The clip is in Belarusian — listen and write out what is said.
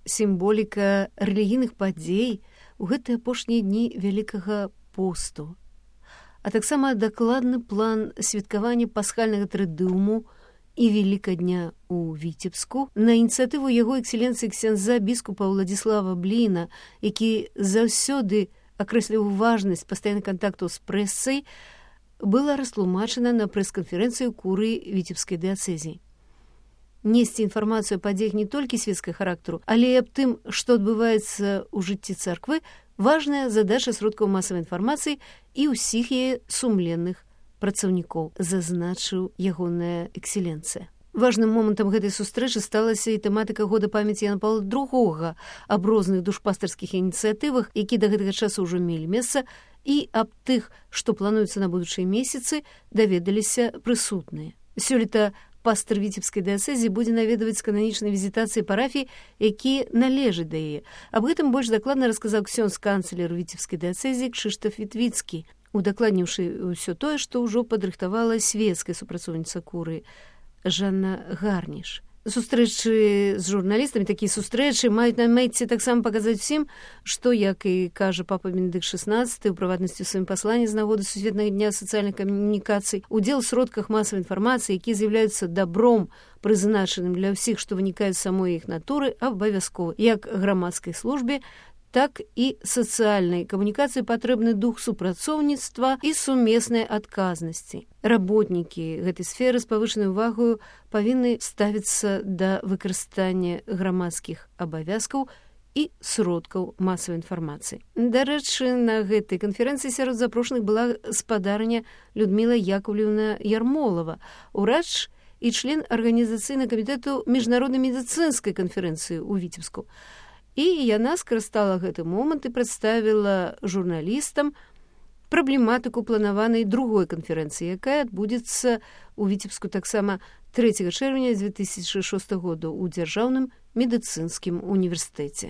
сімволіка рэлігійных падзей у гэтыя апошнія дні Вялікага посту, а таксама дакладны план святкавання пасхальнага трыдыуму і Великадня у Віцебску на ініцыятыву яго экселенцыі ксяндза біскупа Владзіслава Бліна, які заўсёды акрэсліў важнасць пастаянных кантактаў з прэсай, была растлумачана на прэс-канферэнцыі курыі Віцебскай дыяцэзіі. Несці інфармацыю о падзеях не толькі свецкага характару, але і аб тым, што адбываецца ў жыцці царквы, важная задача сродкаў масавай інфармацыі і ўсіх яе сумленных працаўнікоў, зазначыў ягоная экселенцыя. Важным момантам гэтай сустрэчы сталася і тэматыка года памяці Яна Паўла II аб розных душпастарскіх ініцыятывах, які да гэтага часу ўжо мелі месца, і аб тых, што плануецца на будучыя месяцы, даведаліся прысутныя. Сёлета пастар Віцебскай дыяцэзіі будзе наведваць кананічнай візітацыі парафій, які належаць да яе. Аб гэтым больш дакладна расказаў ксёндз-канцлер Віцебскай дыяцэзіі Кшыштаф Вітвіцкі, удакладніўшы ўсё тое, што ўжо падрыхтавала свецкая супрацоўніца курыі Жанна Гарніш. Сустрэчы з журналістамі, такія сустрэчы маюць на мэце таксама паказаць усім, што, як і кажа папа Бенедыкт XVI, у прыватнасці ў сваім пасланні з нагоды сусветнага дня сацыяльных камунікацый, удзел у сродках масавай інфармацыі, якія з'яўляюцца добром, прызначаным для ўсіх, што вынікаюць з самой іх натуры, абавязкова, як грамадскай службе, так і сацыяльнай камунікацыі патрэбны дух супрацоўніцтва і сумеснай адказнасці. Работнікі гэтай сферы з павышанай увагаю павінны ставіцца да выкарыстання грамадскіх абавязкаў і сродкаў масавай інфармацыі. Дарэчы, на гэтай канферэнцыі сярод запрошаных была спадарня Людміла Яковлевна Ярмолава, урач і член арганізацыйнага камітэту міжнароднай медыцынскай канферэнцыі ў Віцебску. І яна скарыстала гэты момант і прадставіла журналістам праблематыку планаванай другой канферэнцыі, якая адбудзецца ў Віцебску таксама 3 чэрвеня 2006 года ў Дзяржаўным медыцынскім універсітэце.